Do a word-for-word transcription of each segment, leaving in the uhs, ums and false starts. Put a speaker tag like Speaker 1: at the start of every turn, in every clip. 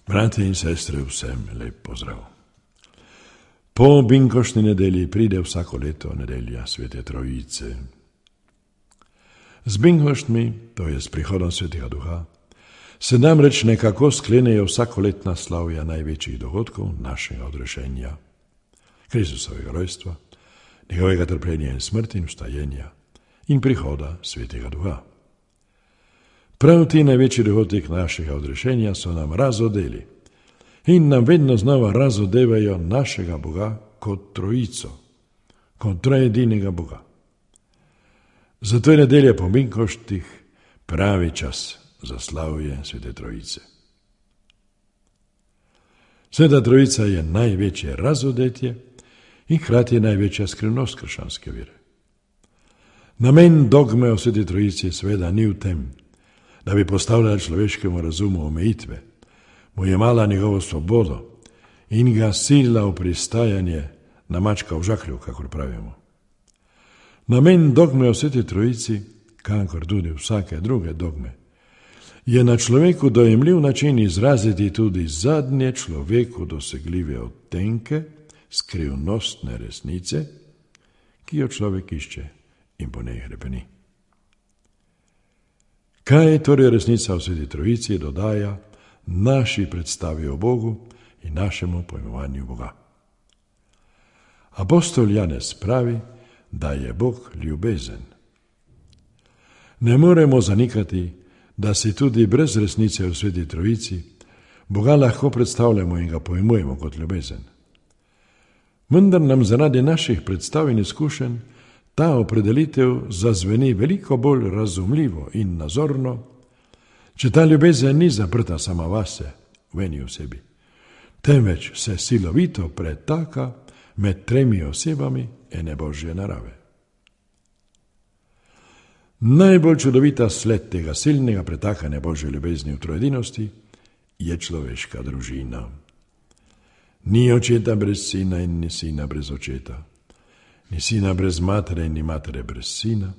Speaker 1: Brate in sestre, vsem lep pozdrav. Po binkoštni nedelji pride vsako leto nedelja Svete Trojice. Z binkoštmi, to je s prihodom Svetega Duha, se namreč nekako sklenejo vsakoletna slavja največjih dogodkov našega odrešenja, Kristusovega rojstva, njegovega trpljenja in smrti in vstajenja in prihoda Svetega Duha. Prav ti največji dogodek našega odrešenja so nam razodeli in nam vedno znova razodevajo našega Boga kot trojico, kot trojedinega Boga. Zato je nedelja po binkoštih pravi čas za slavje Svete Trojice. Sveta Trojica je največje razodetje in hkrati največja skrivnost krščanske vere. Namen dogme o Sveti Trojici seveda ni v tem, da bi postavljala človeškemu razumu omejitve, mu jemala njegovo svobodo in ga silila v pristajanje na mačka v žaklju, kakor pravimo. Namen dogme o Sveti Trojici, kakor tudi vsake druge dogme, je na človeku dojemljiv način izraziti tudi zadnje človeku dosegljive odtenke skrivnostne resnice, ki jo človek išče in po njej hrepeni. Kaj torej resnica o Sveti Trojici dodaja naši predstavi o Bogu in našemu pojmovanju Boga? Apostol Janez pravi, da je Bog ljubezen. Ne moremo zanikati, da si tudi brez resnice o Sveti Trojici Boga lahko predstavljamo in ga pojmujemo kot ljubezen. Vendar nam zaradi naših predstav in izkušenj ta opredelitev zazveni veliko bolj razumljivo in nazorno, če ta ljubezen ni zaprta sama vase, v eni osebi, temveč se silovito pretaka med tremi osebami ene Božje narave. Najbolj čudovita sled tega silnega pretakanja Božje ljubezni v trojedinosti je človeška družina. Ni očeta brez sina in ni sina brez očeta. Ni sina brez matere in ni matere brez sina,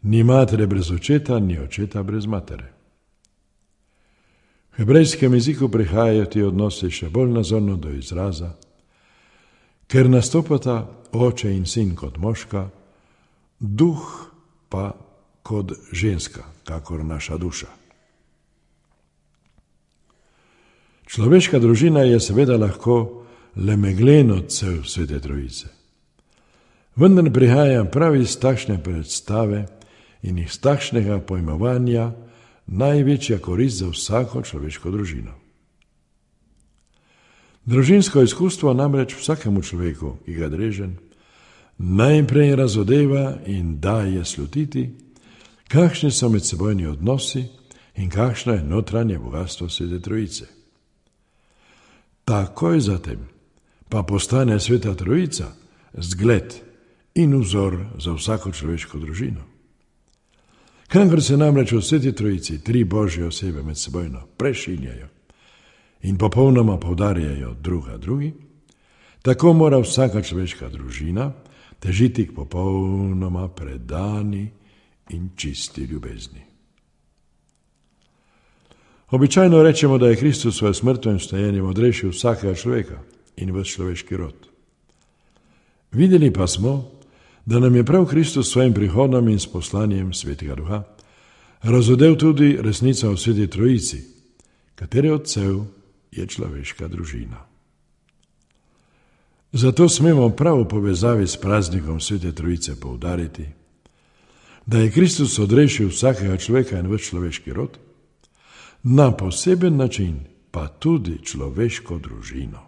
Speaker 1: ni matere brez očeta, ni očeta brez matere. V hebrejskem jeziku prihajajo ti odnosi še bolj nazorno do izraza, ker nastopata oče in sin kot moška, duh pa kot ženska, kakor naša duša. Človeška družina je seveda lahko le megleno cev Svete Trojice. Vendar prihaja prav iz takšne predstave in iz takšnega pojmovanja največja korist za vsako človeško družino. Družinsko izkustvo namreč vsakemu človeku, ki ga drežen, najprej razodeva in daje slutiti, kakšni so medsebojni odnosi in kakšno je notranje bogastvo Svete Trojice. Takoj zatem pa postane Sveta Trojica zgled in vzor za vsako človeško družino. Kakor se namreč v Sveti Trojici tri Božje osebe med sebojno prešinjajo in popolnoma poudarjajo druga drugi, tako mora vsaka človeška družina težiti k popolnoma predani in čisti ljubezni. Običajno rečemo, da je Kristus svojo smrtjo in vstajenjem odrešil vsakega človeka in ves človeški rod. Videli pa smo, da nam je prav Kristus s svojim prihodom in s poslanjem Svetega Duha razodel tudi resnica o Sveti Trojici, katere odsev je človeška družina. Zato smemo prav v povezavi s praznikom Svete Trojice poudariti, da je Kristus odrešil vsakega človeka in ves človeški rod, na poseben način pa tudi človeško družino.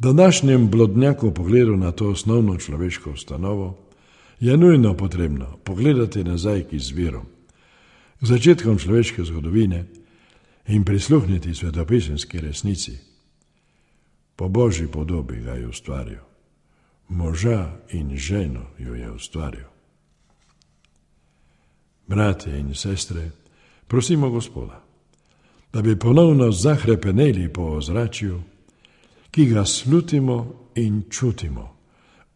Speaker 1: Današnjem blodnjaku pogledu na to osnovno človeško ustanovo je nujno potrebno pogledati nazaj k izvirom, k začetkom človeške zgodovine in prisluhniti svetopisemski resnici. Po Božji podobi ga je ustvaril, moža in ženo jo je ustvaril. Bratje in sestre, prosimo Gospoda, da bi ponovno zahrepeneli po ozračju, ki ga slutimo in čutimo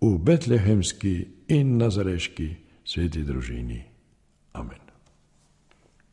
Speaker 1: v betlehemski in nazareški sveti družini. Amen.